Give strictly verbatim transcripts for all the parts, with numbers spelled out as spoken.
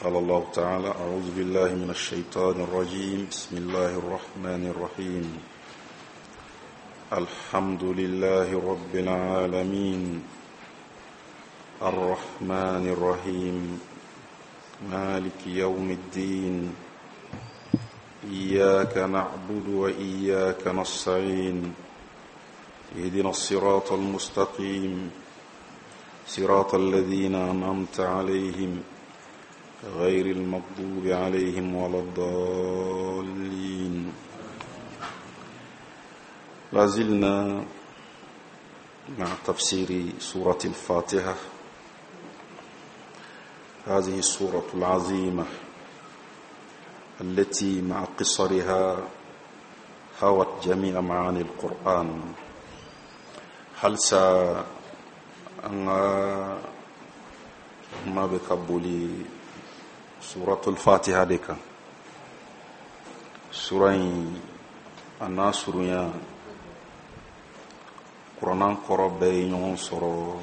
قال الله تعالى: أعوذ بالله من الشيطان الرجيم، بسم الله الرحمن الرحيم، الحمد لله رب العالمين، الرحمن الرحيم، مالك يوم الدين، إياك نعبد وإياك نستعين، اهدنا الصراط المستقيم، صراط الذين أنعمت عليهم غير المغضوب عليهم ولا الضالين. لازلنا مع تفسير سورة الفاتحة، هذه السورة العظيمة التي مع قصرها هوت جميع معاني القرآن. هل سا أن ما بكبولي سورة الفاتحة ديكا سورة أنا سورة قرآن قرب بين سورة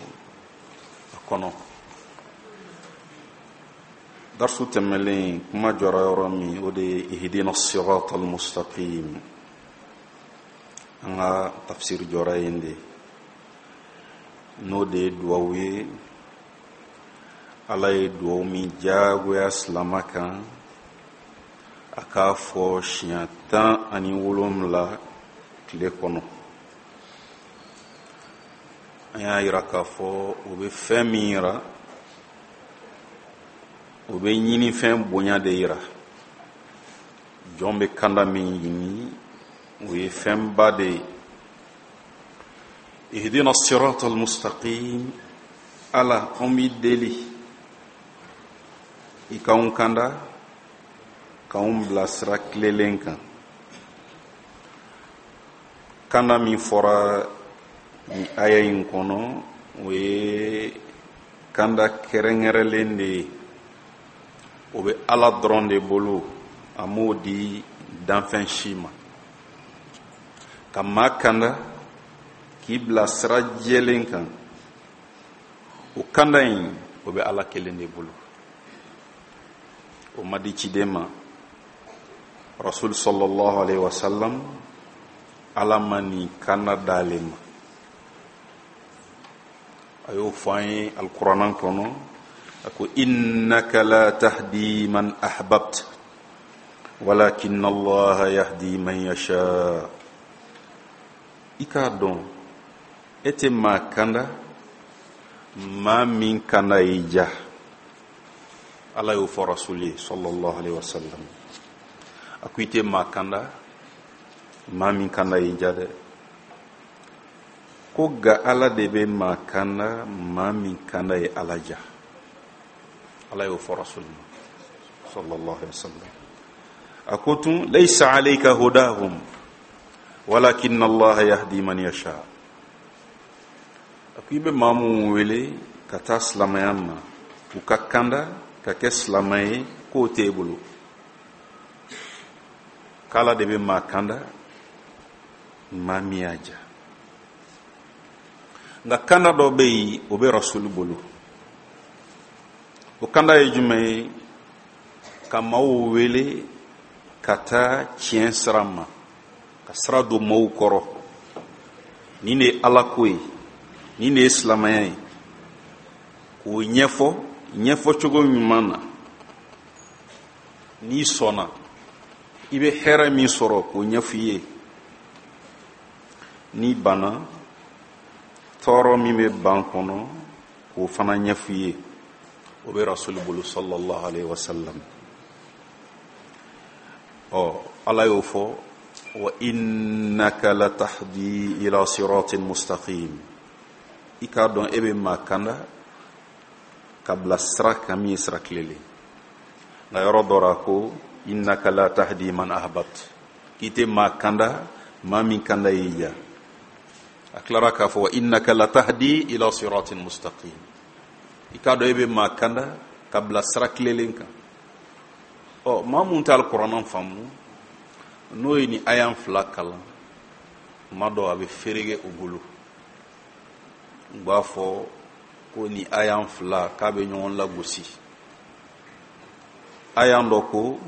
كنو درس تملين كما جرى يرمي ودي اهدنا الصراط المستقيم. أنا تفسير جرى يندي n'o de ye duwawu ye. Ala ye duwawu min diyagoya silama kan a k'a fɔ siɲɛ tan ani wolonwula tile kɔnɔ. An y'a yira k'a fɔ o bɛ fɛn min yira, o bɛ ɲinifɛn bonya de yira. Jɔn bɛ kanda min ɲini, o ye fɛnba de ye. اهدنا الصراط المستقيم، ala an b'i deli i k'anw kanda k'anw bila sira tilelen kan. Kanda min fɔra nin aya in kɔnɔ, o ye kanda kɛrɛnkɛrɛnlen de ye. O bɛ ala dɔrɔn de bolo, a m'o di danfɛn si ma. Ka maa kanda k'i bila sira jɛlen kan, o kanda in o bɛ ala kelen de bolo. O ma di ciden ma. Rasul sallallahu alaihi wasallam, ala ma nin kanda d'ale ma. A y'o fɔ an ye alikuranɛ kɔnɔ, a ko innaka la tahdi man ahbabta walakin allaha yahdi man yasha. I k'a dɔn e tɛ maa kanda maa min kanda y'i ja. Ala y'o fɔ rasuli ye sallallahu alaihi wasallam. A ko i tɛ maa kanda maa min kanda y'i ja dɛ. Ko ga ala de bɛ maa kanda maa min kanda ye ala ja. Ala y'o fɔ rasuli ma sallallahu alaihi wasallam. A ko tun laysa alayka hudahum walakin allaha yahdi man yasha. A ko i bɛ maa minnu wele ka taa silamɛya ma, u ka kanda ka kɛ silamɛ ye, k'o t'e bolo. K'ala de bɛ maa kanda maa min y'a ja. Nka kanda dɔ bɛ yen, o bɛ rasuli bolo. O kanda ye jumɛn ye? Ka maaw wele ka taa tiɲɛ sira ma, ka sira don maaw kɔrɔ. Nin de ye ala ko ye, nin de ye silamɛya ye. K'o ɲɛfɔ ɲɛfɔcogo ɲuman na. N'i sɔnna, i bɛ hɛrɛ min sɔrɔ k'o ɲɛfɔ i ye. N'i banna, tɔɔrɔ min bɛ ban kɔnɔ k'o fana ɲɛfɔ i ye. O bɛ rasuli bolo sallallahu alaihi wasallam. Ɔ ala y'o fɔ wa innaka latahdi ila siratin mustaqim. I k'a dɔn e bɛ maa kanda ka bila sira kan min ye sira tilelen. Nka yɔrɔ dɔ la ko innaka la tahdi man ahbabt, k'i tɛ maa kanda maa min kanda y'i ja. A tilara k'a fɔ innaka la tahdi ila siratin mustaqim. I k'a dɔn e bɛ maa kanda ka bila sira tilelen kan. Ɔ maa mun tɛ alikuranɛ faamu, n'o ye nin aya fila kalan, kuma dɔ a bɛ fereke u bolo. U b'a fɔ ko ni aya fila k'a bɛ ɲɔgɔn lagosi. Aya dɔ ko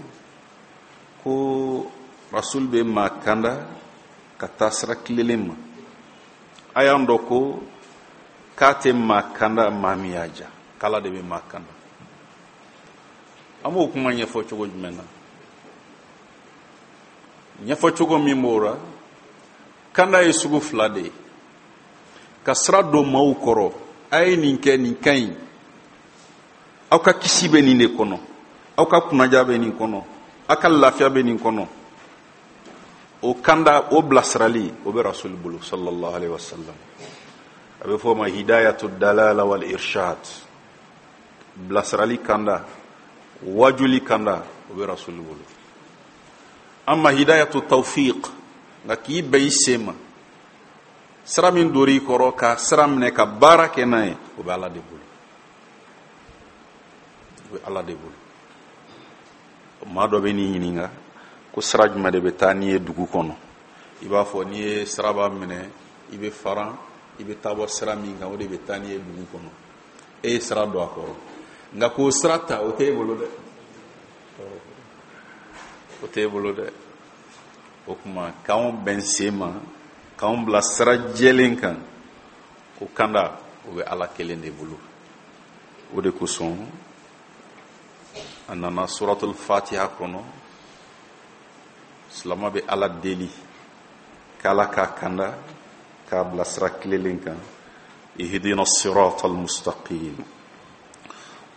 ko rasul bɛ maa kanda ka taa sira tilelen ma. Aya dɔ ko k'a tɛ maa kanda maa min y'a ja, k'Ala de bɛ maa kanda. An b'o kuma ɲɛfɔ cogo jumɛn na? Ɲɛfɔ cogo min b'o la, kanda ye sugu fila de ye. Ka sira don maaw kɔrɔ, a ye nin kɛ, nin ka ɲi, aw ka kisi bɛ nin de kɔnɔ, aw ka kunnaja bɛ nin kɔnɔ, aw ka lafiya bɛ nin kɔnɔ. O kanda, o bilasirali, o bɛ rasuli bolo sallallahu alaihi wasallam. A bɛ fɔ o ma hidayatu dalala wal irshad. Bilasirali kanda, wajuli kanda, o bɛ rasuli bolo. Amma hidayatu tawfiq, nka k'i bɛn i sen ma, sira min dor'i kɔrɔ ka sira minɛ ka baara kɛ n'a ye, o bɛ Ala de bolo. O bɛ Ala de bolo. Maa dɔ bɛ n'i ɲininka ko sira jumɛn de bɛ taa n'i ye dugu kɔnɔ? I b'a fɔ n'i ye siraba minɛ, i bɛ faran, i bɛ taa bɔ sira min kan, o de bɛ taa n'i ye dugu kɔnɔ. E ye sira don a kɔrɔ, nka k'o sira ta, o t'e bolo dɛ, o t'e bolo dɛ. O tuma k'anw bɛn sen ma, k'anw bila sira jɛlen kan, o kanda, o bɛ Ala kelen de bolo. O de kosɔn a nana suratul fatiha kɔnɔ, silama bɛ Ala deli k'Ala k'a kanda, k'a bila sira tilelen kan. Ihdina siratal mustaqim.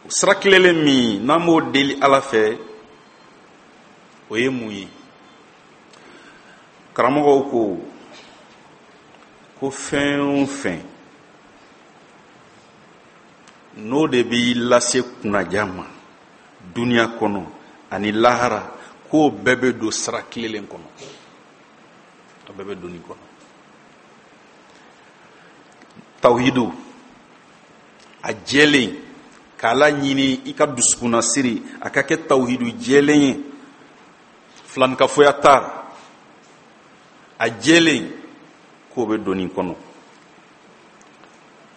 Sira tilelen min n'an b'o deli Ala fɛ, o ye mun ye? Karamɔgɔw ko ko fɛn o fɛn n'o de b'i lase kunnaja ma duniya kɔnɔ ani lahara, k'o bɛɛ bɛ don sira tilelen kɔnɔ. A bɛɛ bɛ don nin kɔnɔ. Tawhidu a jɛlen, k'Ala ɲini i ka dusukunnasiri a ka kɛ tawhidu jɛlen ye, filankafoya t'a la, a jɛlen, k'o bɛ don nin kɔnɔ.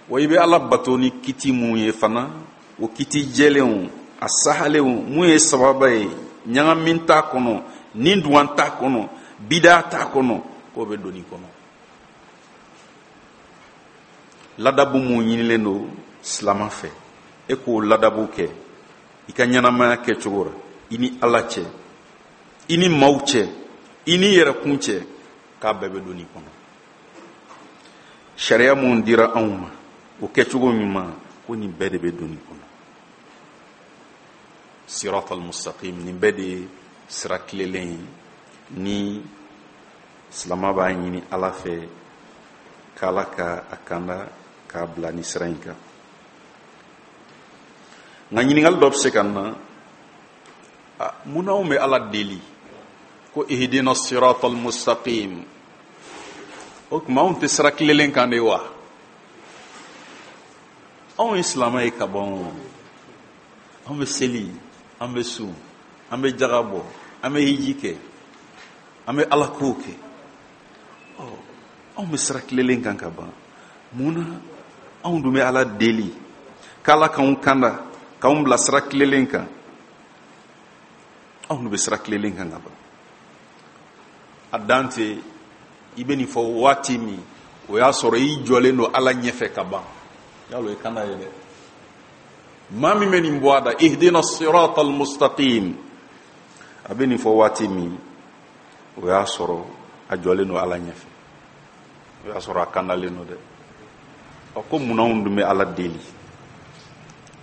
Wa i bɛ Ala bato ni kiti mun ye fana, o kiti jɛlenw, a sahalenw, mun ye sababa ye, ɲagami t'a kɔnɔ, ni duwan t'a kɔnɔ, bida t'a kɔnɔ, k'o bɛ don nin kɔnɔ. Ladabu mun ɲinilen don silama fɛ, e k'o ladabu kɛ i ka ɲɛnamaya kɛcogo la, i ni Ala cɛ, i ni maaw cɛ, i ni yɛrɛkun cɛ, k'a bɛɛ bɛ don nin kɔnɔ. Sariya mun dira anw ma, o kɛcogo ɲuman, ko nin bɛɛ de bɛ don nin kɔnɔ. Siratal mustaqim, nin bɛɛ de ye sira tilelen ye ni silama b'a ɲini Ala fɛ k'Ala ka a kanda k'a bila ni sira in kan. Nka ɲininkali dɔ bɛ se ka na, mun na anw bɛ Ala deli ko ihdina siratal mustaqim? O tuma anw tɛ sira tilelen kan de wa? Anw ye silamɛ ye ka ban, anw bɛ seli, an bɛ sun, an bɛ jaga bɔ, an bɛ hiji kɛ, an bɛ Ala kow kɛ. Ɔ, anw bɛ sira tilelen kan ka ban, mun na anw dun bɛ Ala deli k'Ala k'anw kanda, k'anw bila sira tilelen kan? Anw dun bɛ sira tilelen kan ka ban. A dan tɛ i bɛ nin fɔ waati min, o y'a sɔrɔ i jɔlen don Ala ɲɛfɛ ka ban. Yalo i kanda ye dɛ. Maa min bɛ nin bɔ a da, ihdina siratal mustaqim, a bɛ nin fɔ waati min, o y'a sɔrɔ a jɔlen don Ala ɲɛfɛ, o y'a sɔrɔ a kandalen don dɛ. Ɔ, ko munna anw dun bɛ Ala deli,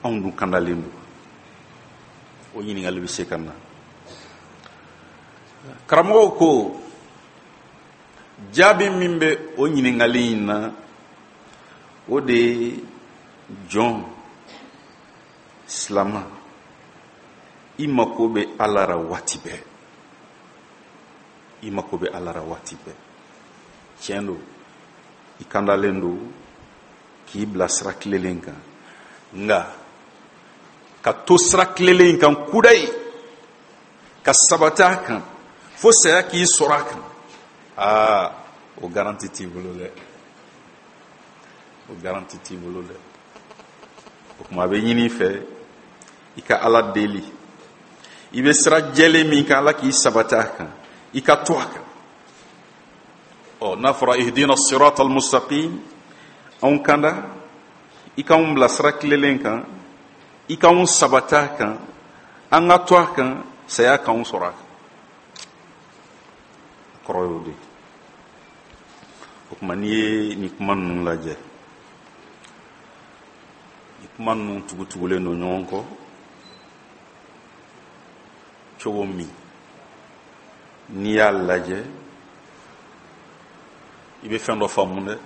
anw dun kandalen don? O ɲininkali bɛ se ka na. Karamɔgɔw ko jaabi min bɛ o ɲininkali in na, o de ye jɔn silama, i mako bɛ Ala la waati bɛɛ, i mako bɛ Ala la waati bɛɛ. Tiɲɛ don, i kandalen don k'i bila sira tilelen kan, nka ka to sira tilelen kan kudayi, ka sabati a kan fo saya k'i sɔrɔ a kan, aa, o garanti t'i bolo dɛ, o garanti t'i bolo dɛ. O tuma a bɛ ɲini i fɛ i ka Ala deli, I bɛ sira jɛlen min kan, Ala k'i sabati a kan, i ka to a kan. Ɔ n'a fɔra ihdina sirata almustaqim, anw kanda, i k'anw bila sira tilelen kan, i k'anw sabati a kan, an ka to a kan, saya k'anw sɔrɔ a kan. A kɔrɔ y'o de ye. O tuma n'i ye nin kuma ninnu lajɛ, nin kuma ninnu tugutugulen don ɲɔgɔn kɔ cogo min, n'i y'a lajɛ i bɛ fɛn dɔ faamu dɛ.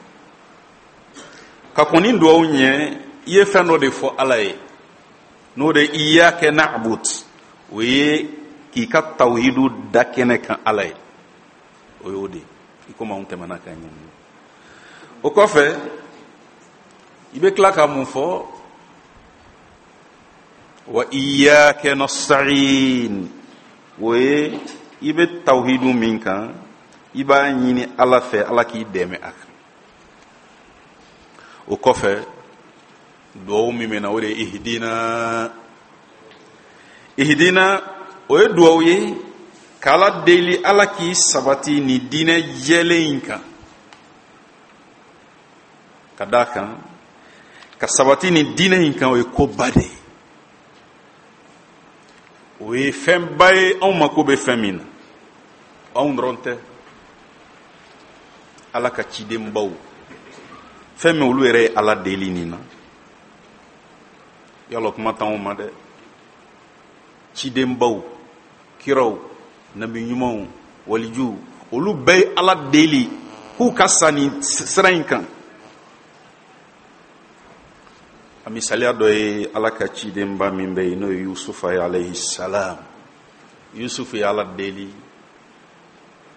Ka kɔn ni duwawu ɲɛ, i ye fɛn dɔ de fɔ Ala ye, n'o de iyyaka na'bud, o ye k'i ka tawhidu da kɛnɛ kan Ala ye, o y'o de ye, i komi anw tɛmɛna ka ɲɛ. O kɔfɛ i bɛ tila ka mun fɔ? Wa iyyaka nasta'in, o ye i bɛ tawhidu min kan, i b'a ɲini Ala fɛ, Ala k'i dɛmɛ a kan. O kɔfɛ duwawu min bɛ na, o de ye ihdina. Ihdina, o ye duwawu ye k'Ala deli, Ala k'i sabati nin diinɛ jɛlen in kan. Ka d'a kan, ka sabati nin diinɛ in kan, o ye koba de ye, o ye fɛnba ye, anw mako bɛ fɛn min na. Anw dɔrɔn tɛ, Ala ka cidenbaw, fɛn min olu yɛrɛ ye Ala deli nin na, yala kuma t'anw ma dɛ. Cidenbaw, kiraw, nabi ɲumanw, walijuw, olu bɛɛ ye Ala deli k'u ka sa nin sira in kan. A misaliya dɔ ye Ala ka cidenba min bɛ yen, n'o ye Yusufa ye alayhi salam. Yusufu ye Ala deli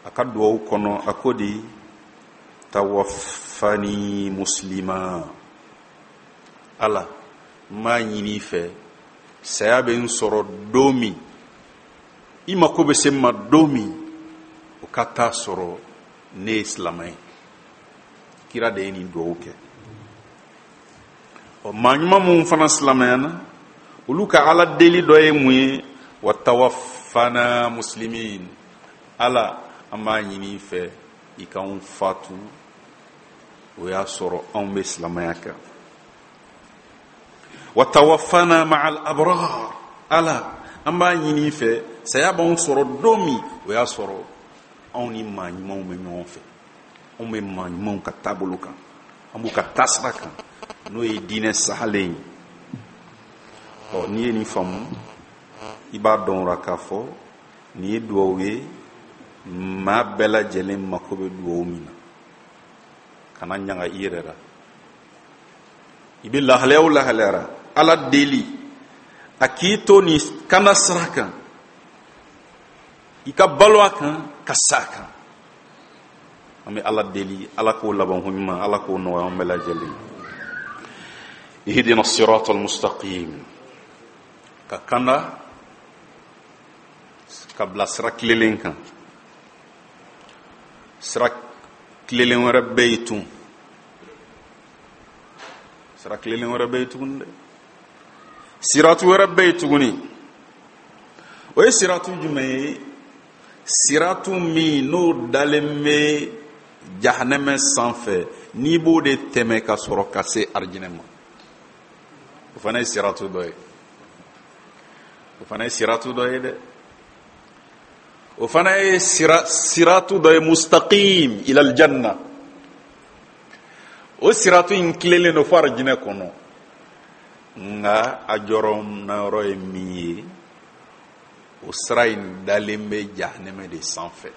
a ka duwawu kɔnɔ, a ko di: tawaffani muslima. Ala, n b'a ɲini i fɛ, saya bɛ n sɔrɔ don min, i mako bɛ se n ma don min, o ka taa sɔrɔ ne ye silamɛ ye. Kira de ye nin duwawu kɛ. Ɔ maa ɲuman minnu fana silamɛyana, olu ka Ala deli dɔ ye mun ye? Wa tawaffana muslimin. Ala, an b'a ɲini i fɛ, i k'anw fatu o y'a sɔrɔ anw bɛ silamɛya kan. Wa tawaffana ma'al abrar. Ala, an b'a ɲini i fɛ, saya b'anw sɔrɔ don min, o y'a sɔrɔ anw ni maa ɲumanw bɛ ɲɔgɔn fɛ, anw bɛ maa ɲumanw ka taabolo kan, an b'u ka taasira kan, n'o ye diinɛ sahalen ye. Ɔ n'i ye nin faamu, i b'a dɔn o la k'a fɔ nin ye duwawu ye maa bɛɛ lajɛlen mako bɛ duwawu min na. Kana ɲaga i yɛrɛ la, i bɛ lahalaya o lahalaya la, Ala deli a k'i to nin kanda sira kan, i ka balo a kan, ka sa a kan. An bɛ Ala deli, Ala k'o labanko ɲuman, Ala k'o nɔgɔya an bɛɛ lajɛlen. Ihdina sirata almustaqim, ka kanda ka bila sira tilelen kan. Sira tilelen wɛrɛ bɛ yen tun, sira tilelen wɛrɛ bɛ yen tuguni dɛ, siratu wɛrɛ bɛ yen tuguni. O ye siratu jumɛn ye? Siratu min n'o dalen bɛ jahanɛmɛ sanfɛ, n'i b'o de tɛmɛ ka sɔrɔ ka se arijinɛ ma, o fana ye siratu dɔ ye. O fana ye siratu dɔ ye dɛ. O fana ye sira siratu dɔ ye, mustaqim ila aljanna. O siratu in tilelen don fo arijinɛ kɔnɔ, nka a jɔrɔnayɔrɔ ye min ye, o sira in dalen bɛ jahanɛmɛ de sanfɛ.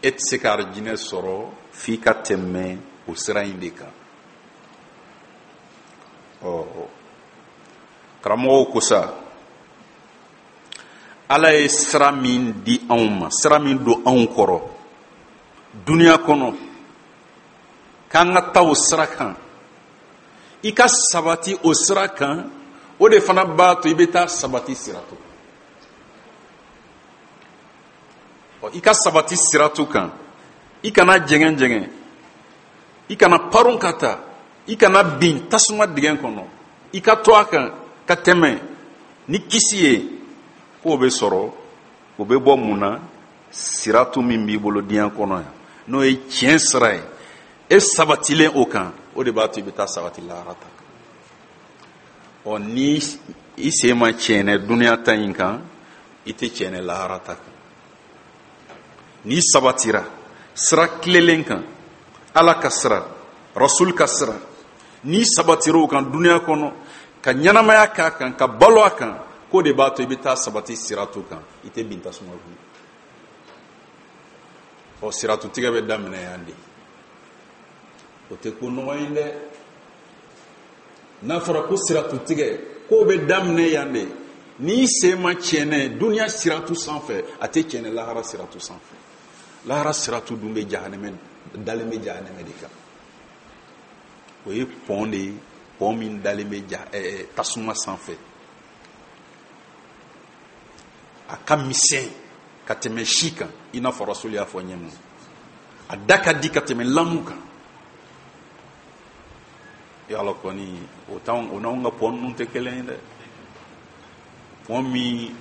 E tɛ se ka arijinɛ sɔrɔ f'i ka tɛmɛ o sira in de kan. Ɔ karamɔgɔw ko sa, Ala ye sira min di anw ma, sira min don anw kɔrɔ duniya kɔnɔ, k'an ka taa o sira kan, i ka sabati o sira kan, o de fana b'a to i bɛ taa sabati siratu. Ɔ i ka sabati siratu kan, i kana jɛngɛ jɛngɛ, i kana paron ka taa, i kana bin tasuma dingɛ kɔnɔ, i ka to a kan ka tɛmɛ ni kisi ye. K'o bɛ sɔrɔ, o bɛ bɔ mun na? Siratu min b'i bolo diɲɛ kɔnɔ yan, n'o ye tiɲɛ sira ye, e sabatilen o kan, o de b'a to i bɛ taa sabati lahara ta kan. Ɔ ni i sen ma tiɲɛnɛ dunuya ta in kan, i tɛ tiɲɛnɛ lahara ta kan. N'i sabatira sira tilelen kan, Ala ka sira, Rasul ka sira, n'i sabatira o kan dunuya kɔnɔ, ka ɲɛnamaya k'a kan, ka balo a kan, k'o de b'a to i bɛ taa sabati siratu kan, i tɛ bin tasuma kɔnɔ. Ɔ siratu tigɛ bɛ daminɛ yan de. O tɛ ko nɔgɔ ye dɛ. N'a fɔra ko siratu tigɛ, k'o bɛ daminɛ yan de. N'i sen ma tiɲɛnɛ dunuya siratu sanfɛ, a tɛ tiɲɛnɛ lahara siratu sanfɛ. Lahara siratu dun bɛ jahanɛmɛ, dalen bɛ jahanɛmɛ de kan. O ye pɔn de ye, pɔn min dalen bɛ ja ɛɛ tasuma sanfɛ. A ka misɛn ka tɛmɛ si kan, i n'a fɔ Rasuli y'a fɔ ɲɛ min. A da ka di ka tɛmɛ lamu kan. Yala kɔni o t'anw, o n'anw ka pɔn ninnu tɛ kelen ye dɛ. Pɔn min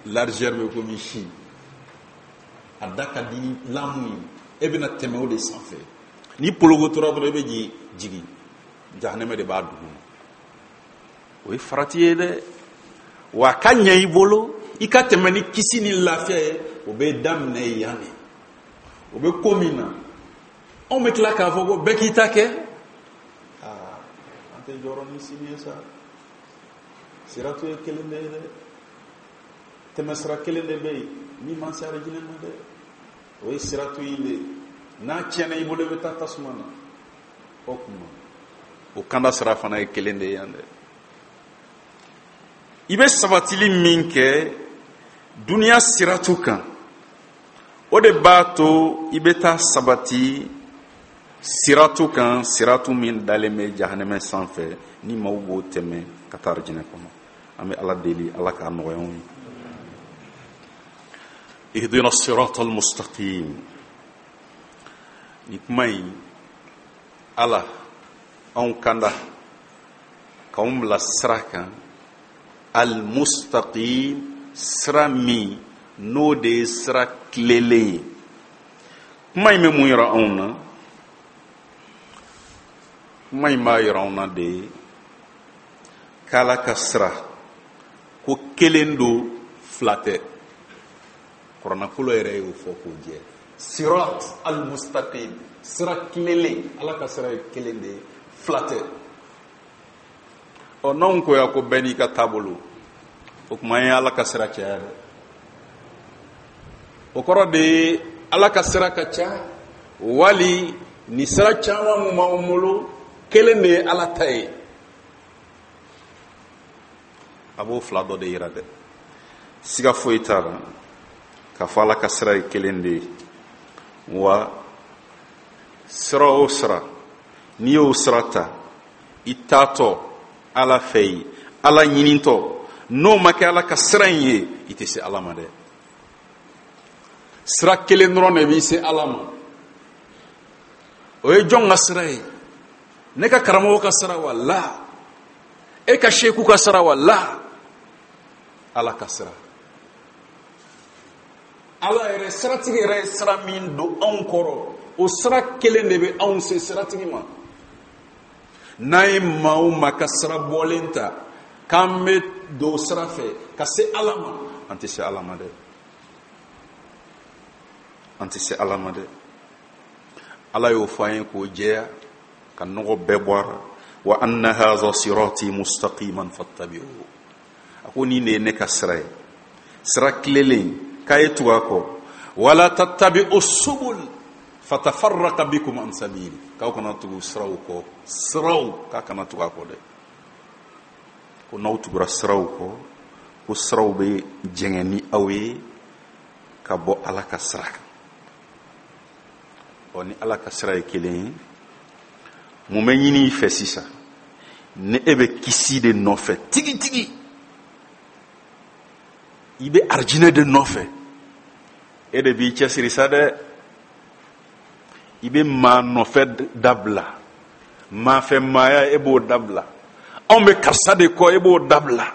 largeur bɛ komi si, a da ka di ni lamu ye, e bɛna tɛmɛ o de sanfɛ. Ni pologo tora dɔrɔn, i bɛ jigin jigin, jahanɛmɛ de b'a dugu ma. O ye farati ye dɛ. Wa a ka ɲɛ i bolo i ka tɛmɛ ni kisi ni lafiya ye, o bɛ daminɛ yan de. O bɛ ko min na, anw bɛ tila k'a fɔ ko bɛɛ k'i ta kɛ. Aa, an tɛ jɔrɔ ni sini ye sa. Siratu ye kelen de ye dɛ, tɛmɛsira kelen de bɛ yen min man se arijinɛ ma dɛ, o ye siratu in de ye. N'a tiɲɛna i bolo, i bɛ taa tasuma na. O tuma o kanda sira fana ye kelen de ye yan dɛ. I bɛ sabatili min kɛ duniya siratu kan, o de b'a to i bɛ taa sabati siratu kan, siratu min dalen bɛ jahanɛmɛ sanfɛ, ni maaw b'o tɛmɛ ka taa arijinɛ kɔnɔ. An bɛ Ala deli, Ala k'a nɔgɔya anw ye. Ihdina sirata almustaqim. Nin kuma in, Ala anw kanda k'anw bila sira kan, almustaqim, sira min n'o de ye sira tilelen ye. Kuma in bɛ mun yira anw na? Kuma in b'a yira anw na de k'Ala ka sira ko kelen don, fila tɛ. Kuranakolo yɛrɛ y'o fɔ k'o jɛ. Sirat almustaqim, sira tilelen, Ala ka sira ye kelen de ye, fila tɛ. Ɔ n'anw ko ya ko bɛɛ n'i ka taabolo, o tuma an ye Ala ka sira caya dɛ. O kɔrɔ de ye Ala ka sira ka ca, wali ni sira caman mun b'anw bolo, kelen de ye Ala ta ye. A b'o fila dɔ de yira dɛ. Siga foyi t'a la k'a fɔ Ala ka sira ye kelen de ye. Wa sira o sira, n'i y'o sira ta, i taatɔ Ala fɛ yen, Ala ɲinitɔ, n'o ma kɛ Ala ka sira in ye, i tɛ se Ala ma dɛ. Sira kelen dɔrɔn de b'i se Ala ma. O ye jɔn ka sira ye? Ne ka karamɔgɔ ka sira wa? La. E ka seku ka sira wa? La. Ala ka sira. Ala yɛrɛ, siratigi yɛrɛ ye sira min don anw kɔrɔ, o sira kelen de bɛ anw se siratigi ma. N'an ye maa o maa ka sira bɔlen ta k'an bɛ don sira fɛ ka se Ala ma, an tɛ se Ala ma dɛ. An tɛ se Ala ma dɛ. Ala y'o fɔ an ye k'o jɛya, ka nɔgɔ bɛɛ bɔ a la. Wa anna hadha sirati mustaqiman fattabi'uhu. A ko nin de ye ne ka sira ye, sira tilelen, k'a ye tugu a kɔ. Wala tattabi'u subul fatafarraqa bikum an sabili. K'aw kana tugu siraw kɔ, siraw k'a kana tugu a kɔ dɛ. Ko n'aw tugura siraw kɔ, ko siraw bɛ jɛngɛ ni aw ye ka bɔ Ala ka sira kan. Ɔ ni Ala ka sira ye kelen ye, mun bɛ ɲini i fɛ sisan? Ni e bɛ kisi de nɔfɛ tigitigi, i bɛ arijinɛ de nɔfɛ, e de b'i cɛsiri sa dɛ. I bɛ maa nɔfɛ dabila, maa fɛ maaya e b'o dabila, anw bɛ karisa de kɔ e b'o dabila,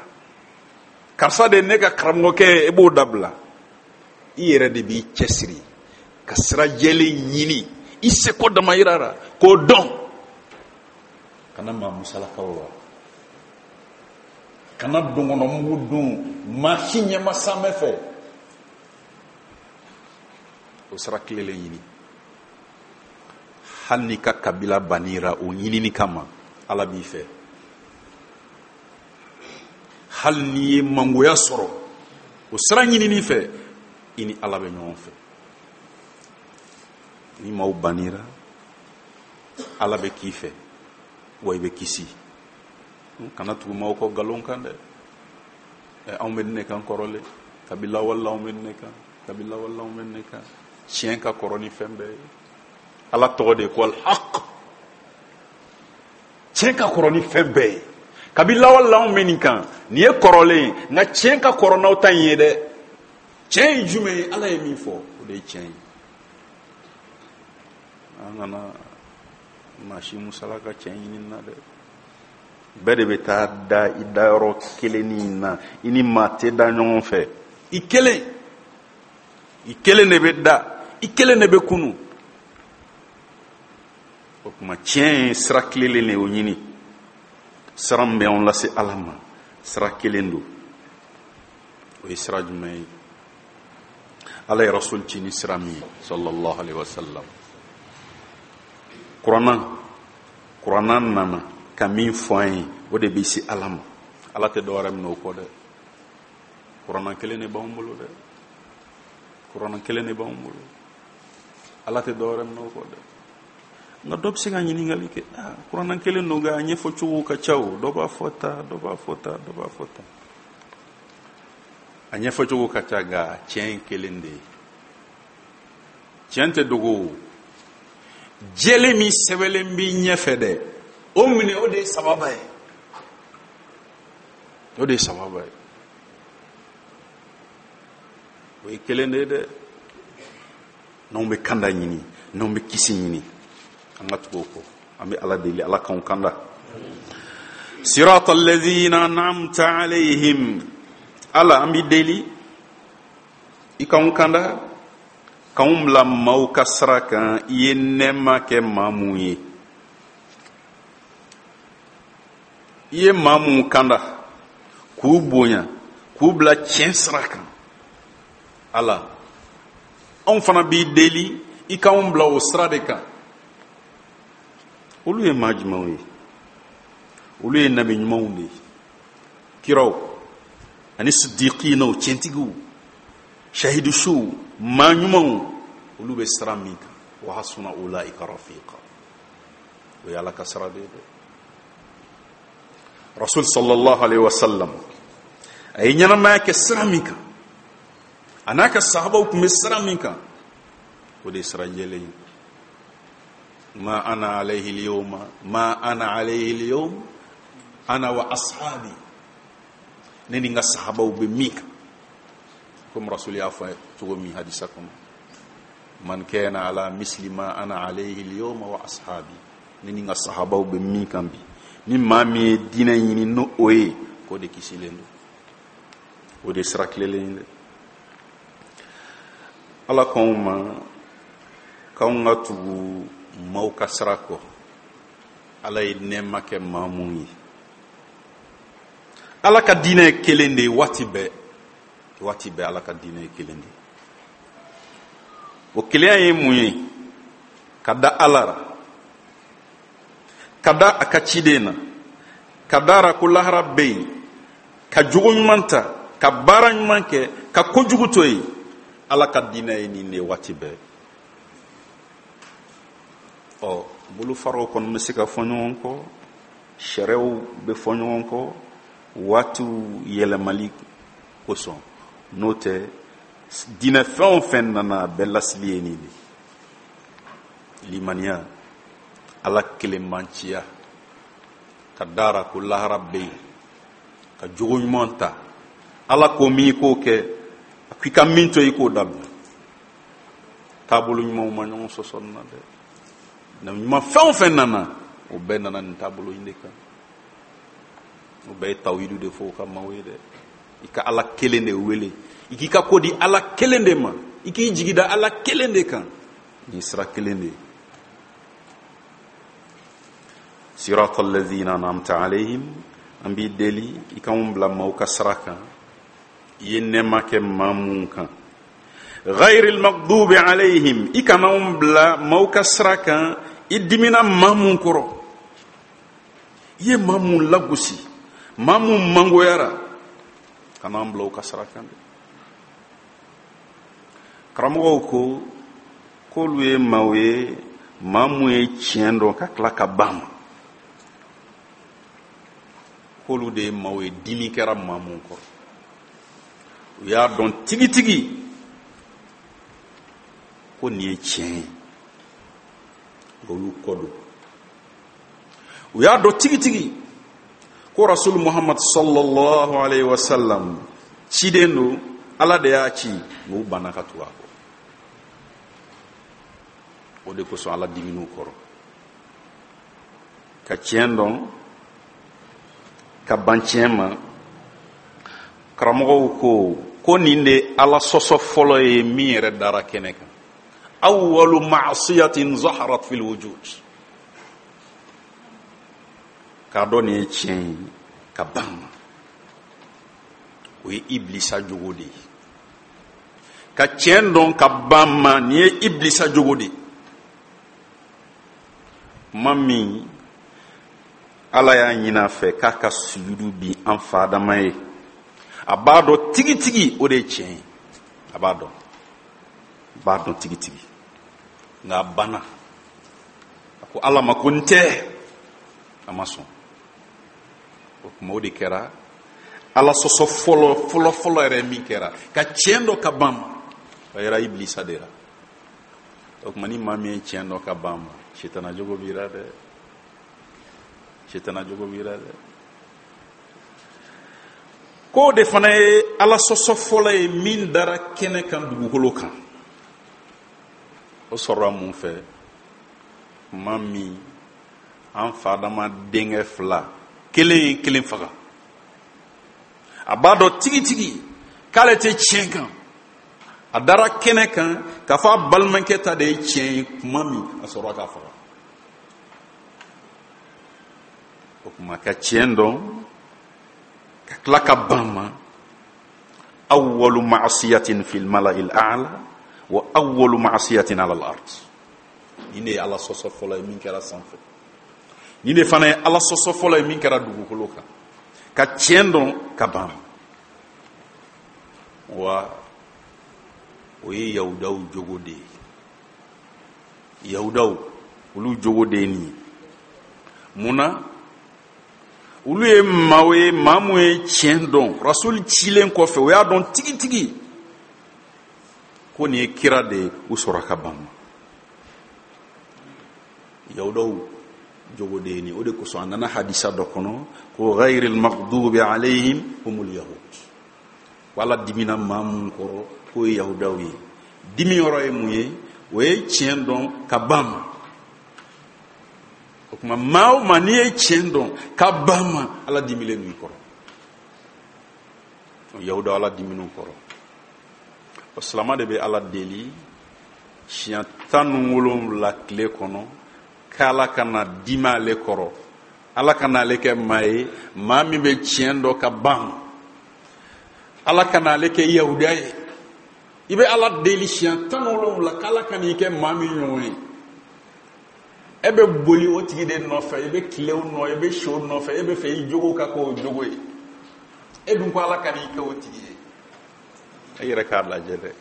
Karisa de ye ne ka karamɔgɔkɛ ye, e b'o dabila. I yɛrɛ de b'i cɛsiri ka sira jɛlen ɲini i seko damayira la k'o dɔn. Kana maa musalakaw la, kana donkɔnɔmugu dun maa si ɲɛma sanmɛ fɛ. O sira tilelen ɲini. Hali n'i ka kabila banira o ɲinini kama, Ala b'i fɛ. Hali n'i ye mangoya sɔrɔ o sira ɲinini fɛ, i ni Ala bɛ ɲɔgɔn fɛ. Ni maaw banira, Ala bɛ k'i fɛ, wa i bɛ kisi. Kana tugu maaw kɔ nkalon kan dɛ. Anw bɛ ne kan kɔrɔlen, kabila wala anw bɛ ne kan, kabila wala anw bɛ ne kan. Tiɲɛ ka kɔrɔ ni fɛn bɛɛ ye. Ala tɔgɔ de ye ko al-haq. Tiɲɛ ka kɔrɔ ni fɛn bɛɛ ye. Kabila wala anw bɛ nin kan, nin ye kɔrɔlen ye, nka tiɲɛ ka kɔrɔ n'aw ta in ye dɛ. Tiɲɛ ye jumɛn ye? Ala ye min fɔ, o de ye tiɲɛ ye. An kana maa si musalaka tiɲɛ ɲini na dɛ. Bɛɛ de bɛ taa da i dayɔrɔ kelennin na, i ni maa tɛ da ɲɔgɔn fɛ. I kelen, i kelen de bɛ da, i kelen de bɛ kunu. O tuma tiɲɛ ye sira tilelen de ye, o ɲini. Sira min bɛ anw lase Ala ma, sira kelen don. O ye sira jumɛn ye? Ala ye Rasul ci ni sira min ye, sallallahu alaihi wa sallam. Kurana, Kurana nana ka min fɔ an ye, o de bɛ se Ala ma. Ala tɛ dɔwɛrɛ minɛ o kɔ dɛ. Kurana kelen de b'anw bolo dɛ. Kurana kelen de b'anw bolo. Ala tɛ dɔwɛrɛ minɛ o kɔ dɛ. Nka dɔ bɛ se ka ɲininkali kɛ, ah, Kurana kelen don nka a ɲɛfɔcogo ka ca o. Dɔ b'a fɔ tan, dɔ b'a fɔ tan, dɔ b'a fɔ tan. A ɲɛfɔcogo ka ca nka tiɲɛ ye kelen de ye. Tiɲɛ tɛ dogo o. Jɛlen min sɛbɛnlen b'i ɲɛfɛ dɛ, o minɛ, o de ye sababa ye. O de ye sababa ye. O ye kelen de ye dɛ. N'anw bɛ kanda ɲini, n'anw bɛ kisi ɲini, an ka tugu o kɔ. An bɛ Ala deli, Ala k'anw kanda. Sirata alladhina an'amta alayhim. Ala, an b'i deli, i k'anw kanda, k'anw bila maaw ka sira kan, i ye nɛɛma kɛ maa mun ye. I ye maa mun kanda, k'u bonya, k'u bila tiɲɛ sira kan. Ala, anw fana b'i deli, i k'anw bila o sira de kan. Olu ye maa jumɛnw ye? Olu ye nabi ɲumanw de ye, kiraw ani sidiqinaw, tiɲɛtigiw, shahidusuw, maa ɲumanw. Olu bɛ sira min kan, wa hasuna ulaika rafiqa. O ye Ala ka sira de ye dɛ. Rasul sallallahu alaihi wasallam a ye ɲɛnamaya kɛ sira min kan, a n'a ka sahabaw tun bɛ sira min kan, o de ye sira jɛlen ye. Ma ana alayhi al-yawma, ma ana alayhi al-yawm, ana wa ashabi. Ne ni n ka sahabaw bɛ min kan, komi Rasul y'a fɔ cogo min hadisa kɔnɔ, man kana ala misli ma ana alayhi al-yawma wa ashabi. Ne ni n ka sahabaw bɛ min kan bi, ni maa min ye diinɛ ɲini n'o o ye, k'o de kisilen don. O de ye sira tilelen ye dɛ. Ala k'anw ma k'anw ka tugu maaw ka sira kɔ. Ala ye nɛɛma kɛ maa mun ye. Ala ka diinɛ ye kelen de ye waati bɛɛ. Waati bɛɛ Ala ka diinɛ ye kelen de ye. O kelenya ye mun ye? Ka da Ala la, ka da a ka ciden na, ka da a la ko lahara bɛ yen, ka jogo ɲuman ta, ka baara ɲuman kɛ, ka kojugu to yen. Ala ka diinɛ ye nin de ye waati bɛɛ. Ɔ, bolofaraw kɔni bɛ se ka fɔ ɲɔgɔn kɔ, sariyaw bɛ fɔ ɲɔgɔn kɔ, waatiw yɛlɛmali kosɔn. N'o tɛ, diinɛ fɛn o fɛn nana, a bɛɛ lasili ye nin de ye. Limaniya, Ala kelenbanciya, ka dara ko lahara bɛ yen, ka jogo ɲuman ta, Ala ko min i k'o kɛ, a ko i ka min to i k'o dabila. Taabolo ɲumanw ma ɲɔgɔn sɔsɔ nin na dɛ. Nabi ɲuman fɛn o fɛn nana, o bɛɛ nana nin taabolo in de kan. O bɛɛ ye tawhidu de fɔ o ka maaw ye dɛ. I ka Ala kelen de wele, i k'i ka ko di Ala kelen de ma, i k'i jigi da Ala kelen de kan. Nin sira kelen de ye. Sirata alladhina an'amta alayhim, an b'i deli i k'anw bila maaw ka sira kan, i ye nɛɛma kɛ maa mun kan. Ghayril maghdubi alayhim, i kana anw bila maaw ka sira kan i dimina maa mun kɔrɔ, i ye maa mun lagosi, maa mun mangoyara, kana an bila u ka sira kan dɛ. Karamɔgɔw ko k'olu ye maaw ye, maa mun ye tiɲɛ dɔn ka tila ka ban ma, k'olu de ye maaw ye dimi kɛra maa mun kɔrɔ. U y'a dɔn tigitigi ko nin ye tiɲɛ ye, nka u y'u kɔ don. U y'a dɔn tigitigi ko Rasul Muhammad sallallahu alayhi wa sallam ciden don, Ala de y'a ci, nka u banna ka tugu a kɔ. O de kosɔn Ala dimin'u kɔrɔ. Ka tiɲɛ dɔn ka ban tiɲɛ ma. Karamɔgɔw ko ko nin de Ala sɔsɔ fɔlɔ ye min yɛrɛ dara kɛnɛ kan. Awwalu ma'siyatin zaharat fil wujud. K'a dɔn nin ye tiɲɛ ye ka ban ma, o ye Iblisa jogo de ye. Ka tiɲɛ dɔn ka ban ma, nin ye Iblisa jogo de ye. Kuma min Ala y'a ɲini a fɛ k'a ka sujudu bin an fa Adama ye, a b'a dɔn tigitigi o de ye tiɲɛ ye, a b'a dɔn, a b'a dɔn tigitigi, nka a banna. A ko Ala ma ko n tɛ, a ma sɔn. O tuma o de kɛra Ala sɔsɔ fɔlɔ fɔlɔ fɔlɔ yɛrɛ min kɛra ka tiɲɛ dɔ ka ban ma, o yɛrɛ Iblisa de la. O tuma ni maa min ye tiɲɛ dɔ ka ban ma, sitana jogo b'i la dɛ, sitana jogo b'i la dɛ. K'o de fana ye Ala sɔsɔ fɔlɔ ye min dara kɛnɛ kan dugukolo kan. O sɔrɔla mun fɛ? Maa min an fa Adama denkɛ fila, kelen ye kelen faga, a b'a dɔn tigitigi k'ale tɛ tiɲɛ kan, a dara kɛnɛ kan k'a fɔ a balimakɛ ta de ye tiɲɛ ye. Kuma min a sɔrɔla k'a faga. O tuma ka tiɲɛ dɔn ka tila ka ban ma. Awwalu ma'siyatin fil mala'il a'la wa awwalu ma'siyatin 'ala al-ard. Nin de ye Ala sɔsɔ fɔlɔ ye min kɛra sanfɛ, nin de fana ye Ala sɔsɔ fɔlɔ ye min kɛra dugukolo kan. Ka tiɲɛ dɔn ka ban. Wa o ye Yahudaw jogo de ye. Yahudaw olu jogo de ye nin ye. Mun na? Olu ye maaw ye, maa mun ye tiɲɛ dɔn Rasul cilen kɔfɛ, o y'a dɔn tigitigi ko nin ye kira de ye, u sɔrɔ ka ban ma. Yahudaw jogo de ye nin. O de kosɔn a nana hadisa dɔ kɔnɔ ko ghayril maghdubi alayhim humul yahud. Ko Ala dimina maa mun kɔrɔ k'o ye Yahudaw ye. Dimi yɔrɔ ye mun ye? O ye tiɲɛ dɔn ka ban ma. O tuma maa o maa n'i ye tiɲɛ dɔn ka ban ma, Ala dimilen don i kɔrɔ. Yahudaw Ala dimin'u kɔrɔ. O silama de bɛ Ala deli siɲɛ tan ni wolonwula tile kɔnɔ k'Ala kana dimi ale kɔrɔ, Ala kana ale kɛ maa ye maa min bɛ tiɲɛ dɔn ka ban ma, Ala kana ale kɛ Yahudiya ye. I bɛ Ala deli siɲɛ tan ni wolonwula k'Ala kan'i kɛ maa min ɲɔgɔn ye. E bɛ boli o tigi de nɔfɛ, i bɛ tile o nɔ, i bɛ si o nɔfɛ, e bɛ fɛ i jogo ka kɛ o jogo ye. E dun ko Ala kan'i kɛ o tigi ye. E yɛrɛ k'a lajɛ dɛ.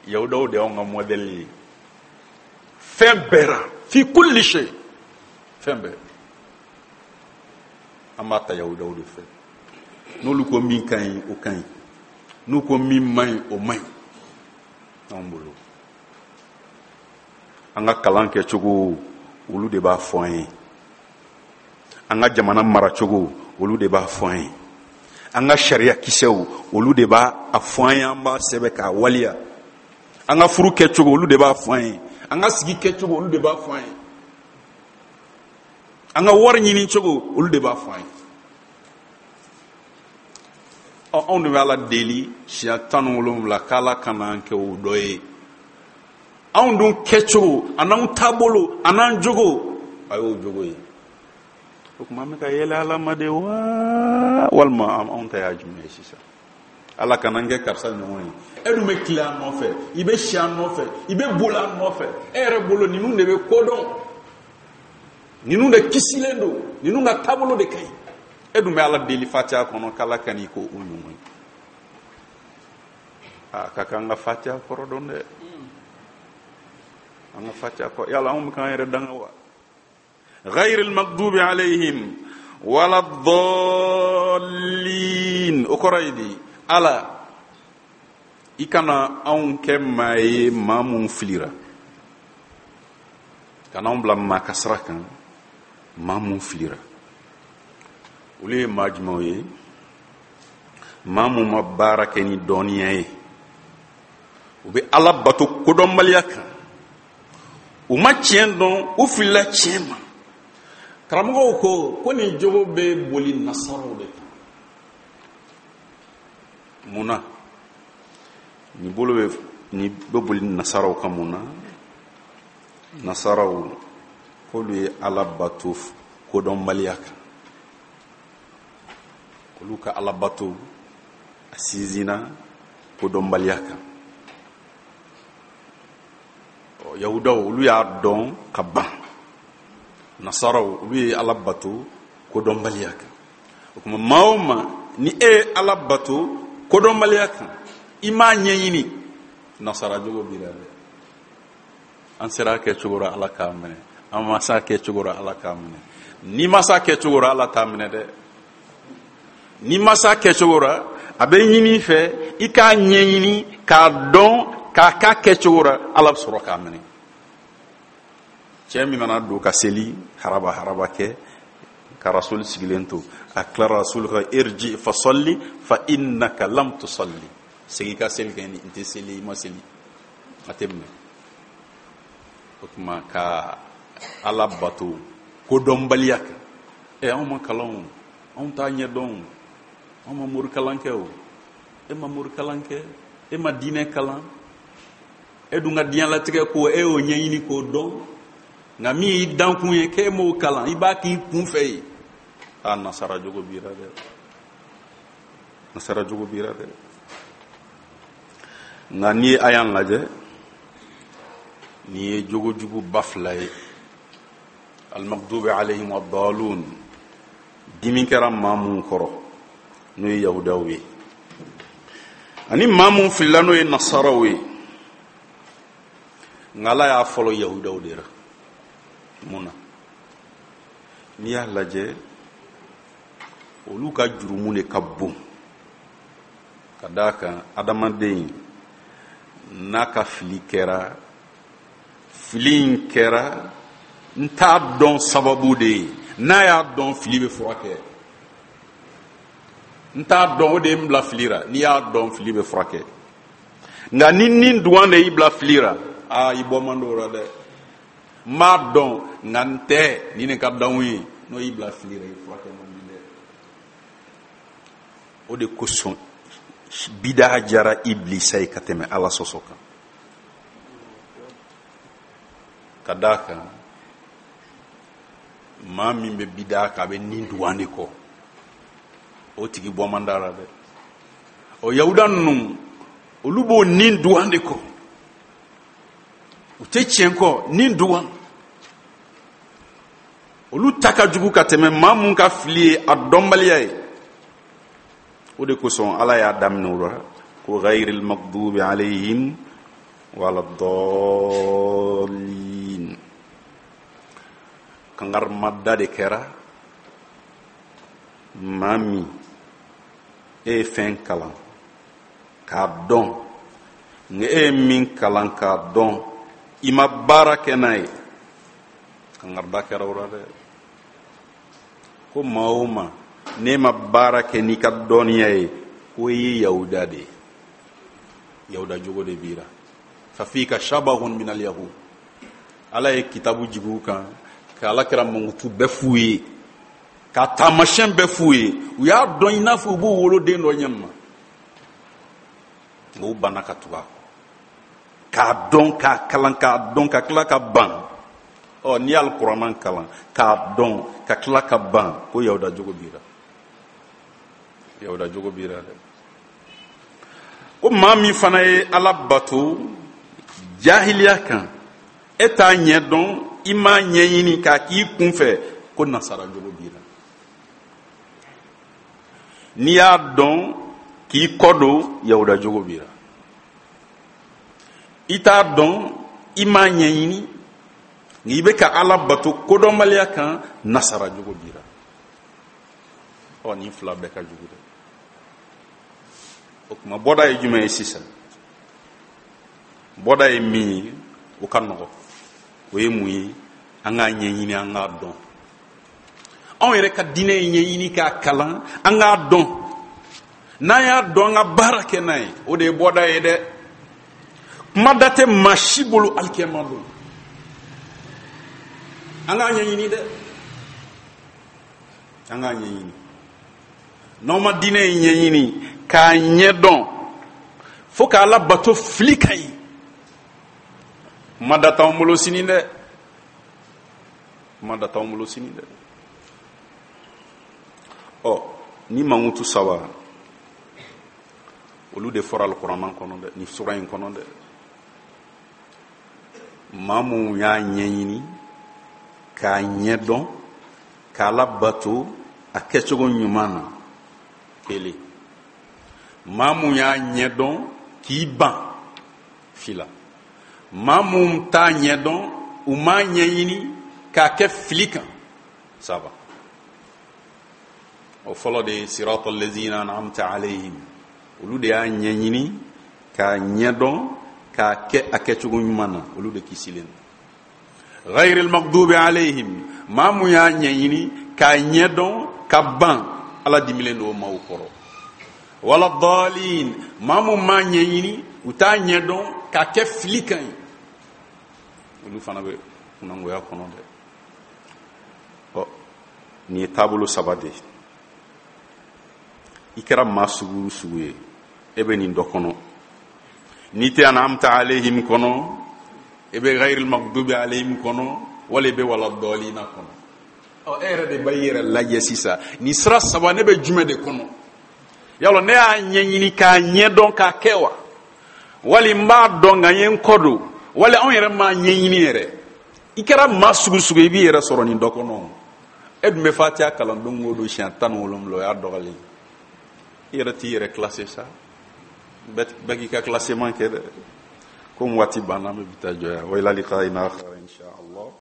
Yahudaw de y'anw ka modèle ye fɛn bɛɛ la, fi kulli shay, fɛn bɛɛ an b'a ta Yahudaw de fɛ. N'olu ko min ka ɲi, o ka ɲi, n'u ko min man ɲi, o man ɲi anw bolo. An ka kalan kɛcogo, olu de b'a fɔ an ye. An ka jamana maracogo, olu de b'a fɔ an ye. An ka sariya kisɛw, olu de b'a fɔ an ye, an b'a sɛbɛn k'a waleya. An ka furu kɛcogo, olu de b'a fɔ an ye. An ka sigi kɛcogo, olu de b'a fɔ an ye. An ka wari ɲini cogo, olu de b'a fɔ an ye. Ɔ, anw de bɛ Ala deli siɲɛ tan ni wolonwula k'Ala kana an kɛ o dɔ ye. Anw dun kɛcogo an'anw taabolo an'an jogo, a y'o jogo ye. O tuma an bɛ ka yɛlɛ Ala ma de wa, walima anw ta y'a jumɛn ye sisan? Ala kana an kɛ karisa ɲɔgɔn ye. E dun bɛ tile an nɔfɛ, i bɛ si an nɔfɛ, i bɛ boli an nɔfɛ. E yɛrɛ bolo ninnu de bɛ ko dɔn, ninnu de kisilen don, ninnu ka taabolo de ka ɲi. E dun bɛ Ala deli Fatiha kɔnɔ k'Ala ka n'i ko o ɲɔgɔn ye. A ka kan ka Fatiha kɔrɔ dɔn dɛ. An ka Fatiha kɔrɔ, yala anw bɛ k'an yɛrɛ danga wa? غير المغضوب عليهم ولا الضالين. O kɔrɔ ye di? Ala, i kana anw kɛ maa ye maa mun filira, kana anw bila maa ka sira kan maa mun filira. Olu ye maa jumɛnw ye? Maa mun ma baara kɛ ni dɔnniya ye, u bɛ Ala bato kodɔnbaliya kan, u ma tiɲɛ dɔn, u filila tiɲɛ ma. Karamɔgɔw ko ko nin jogo bɛ boli nasaraw de kan. Mun na nin bolo bɛ nin bɛ boli nasaraw kan? Mun na nasaraw k'olu ye Ala bato kodɔnbaliya kan, olu ka Ala bato a sinsinna kodɔnbaliya kan. Yahudaw olu y'a dɔn ka ban, nasaraw olu ye Ala bato kodɔnbaliya kan. O tuma maa o maa ni e ye Ala bato kodɔnbaliya kan, i m'a ɲɛɲini, nasara jogo b'i la dɛ. An sera a kɛcogo la, Ala k'a minɛ. An ma s'a kɛcogo la, Ala k'a minɛ. N'i ma s'a kɛcogo la, Ala t'a minɛ dɛ. N'i ma s'a kɛcogo la, a bɛ ɲini i fɛ i k'a ɲɛɲini k'a dɔn k'a k'a kɛcogo la, Ala bɛ sɔrɔ k'a minɛ. Cɛ min mana don ka seli haraba haraba kɛ ka Rasuli sigilen to, a tilara Rasuli ka irji fa salli fa innaka lam tusalli, segin ka seli kɛ, n tɛ seli, i ma seli, a tɛ minɛ. O tuma ka Ala bato kodɔnbaliya kan. Ɛ, anw ma kalan o, anw t'a ɲɛdɔn o, anw ma morikalan kɛ o. E ma morikalan kɛ, e ma diinɛ kalan, e dun ka diɲɛlatigɛ ko e y'o ɲɛɲini k'o dɔn, nka min y'i dankun ye k'e m'o kalan, i b'a k'i kun fɛ yen. A nasara jogo b'i la dɛ, nasara jogo b'i la dɛ. Nka n'i ye aya lajɛ, nin ye jogojugu ba fila ye. Al-maghdubi alayhim wad-dallun, dimi kɛra maa mun kɔrɔ n'o ye yahudaw ye, ani maa mun filila n'o ye nasaraw ye. Nka Ala y'a fɔlɔ yahudaw de la. Mun na? N'i y'a lajɛ, olu ka jurumu de ka bon, ka d'a kan adamaden n'a ka fili kɛra, fili in kɛra n t'a dɔn sababu de ye, n'a y'a dɔn fili bɛ furakɛ. N t'a dɔn o de ye n bila fili la, n'i y'a dɔn fili bɛ furakɛ. Nka ni ni dugan de y'i bila fili la, aa i bɔ man d'o la dɛ. N b'a dɔn nka n tɛ nin de ka d'anw ye, n'o y'i bila fili la, i furakɛ man di dɛ. O de kosɔn bidaa jara Ibilisa ye ka tɛmɛ Ala sɔsɔ kan. Ka d'a kan maa min bɛ bidaa kan, a bɛ nin dugan de kɔ, o tigi bɔ man d'a la dɛ. O yahuda ninnu, olu b'o nin dugan de kɔ, u tɛ tiɲɛ kɔ, nin dugan. Olu ta ka jugu ka tɛmɛ maa mun ka fili ye a dɔnbaliya ye. O de kosɔn Ala y'a daminɛ o la ko ghayril maghdubi alayhim wala dallin. Kangarimada de kɛra maa min e ye fɛn kalan k'a dɔn, nka e ye min kalan k'a dɔn i ma baara kɛ n'a ye, kangarida kɛra o la dɛ. Ko maa o maa n'e ma baara kɛ n'i ka dɔnniya ye, ko i ye yahuda de ye, yahuda jogo de b'i la. Fa fika shabahun min al yahud. Ala ye kitabu jigi u kan ka Ala kira mankutu bɛɛ f'u ye, ka taamasiyɛn bɛɛ f'u ye, u y'a dɔn i n'a fɔ u b'u woloden dɔ ɲɛ ma. Nka u banna ka tugu a kɔ, k'a dɔn, k'a kalan, k'a dɔn, ka tila ka ban. Ɔ, n'i y'alikuranna kalan k'a dɔn ka tila ka ban, ko yahuda jogo b'i la, yahuda jogo b'i la dɛ. Ko maa min fana ye Ala bato jahiliya kan, e t'a ɲɛ dɔn, i m'a ɲɛɲini k'a k'i kunfɛ, ko nasara jogo b'i la. N'i y'a dɔn k'i kɔ don, yahuda jogo b'i la. I t'a dɔn, i m'a ɲɛɲini, nka i bɛ ka Ala bato kodɔnbaliya kan, nasara jogo b'i la. Ɔ, nin fila bɛɛ ka jugu dɛ. O tuma, bɔda ye jumɛn ye sisan? Bɔda ye min ye, o ka nɔgɔ. O ye mun ye? An k'a ɲɛɲini, an k'a dɔn. Anw yɛrɛ ka diinɛ ye ɲɛɲini k'a kalan, an k'a dɔn. N'an y'a dɔn, an ka baara kɛ n'a ye, o de ye bɔda ye dɛ. Kuma da tɛ maa si bolo alikiyama don. An k'a ɲɛɲini dɛ, an k'a ɲɛɲini. N'aw ma diinɛ in ɲɛɲini k'a ɲɛdɔn fo k'a labato fili ka ɲi, kuma da t'anw bolo sini dɛ, kuma da t'anw bolo sini dɛ. Ɔ, ni mankutu saba olu de fɔra alikuranna kɔnɔ dɛ, nin sura in kɔnɔ dɛ. Maa mun y'a ɲɛɲini k'a ɲɛdɔn k'a labato a kɛcogo ɲuman na, kelen. Maa mun y'a ɲɛdɔn k'i ban, fila. Maa mun t'a ɲɛdɔn, u m'a ɲɛɲini k'a kɛ fili kan, saba. O fɔlɔ de ye sirata allazina an'amta alayhim, olu de y'a ɲɛɲini k'a ɲɛdɔn k'a kɛ a kɛcogo ɲuman na, olu de kisilen don. Ghayril maghdubi alayhim, maa mun y'a ɲɛɲini k'a ɲɛdɔn ka ban, Ala dimilen don o maaw kɔrɔ. Wala dalin, maa mun m'a ɲɛɲini, u t'a ɲɛdɔn k'a kɛ fili kan ye, olu fana bɛ kunnangoya kɔnɔ dɛ. Ɔ, nin ye taabolo saba de ye. I kɛra maa sugu o sugu ye, e bɛ nin dɔ kɔnɔ. N'i tɛ an'amta alayhim kɔnɔ, e bɛ ghayril maghdubi alayhim kɔnɔ, wala i bɛ wala dɔlina kɔnɔ. Ɔ, e yɛrɛ de b'i yɛrɛ lajɛ sisan, nin sira saba, ne bɛ jumɛn de kɔnɔ? Yala ne y'a ɲɛɲini k'a ɲɛdɔn k'a kɛ wa, wali n b'a dɔn nka n ye n kɔ don, wali anw yɛrɛ m'a ɲɛɲini yɛrɛ? I kɛra maa sugu sugu, i b'i yɛrɛ sɔrɔ nin dɔ kɔnɔ. E dun bɛ Fatiha kalan don o don siɲɛ tan ni wolonwula, o y'a dɔgɔlen. I yɛrɛ t'i yɛrɛ classé sa, bɛɛ k'i ka classement kɛ dɛ. Komi waati banna, an bɛ bi ta jɔ yan. Wa ila liqa'in akhar insha Allah.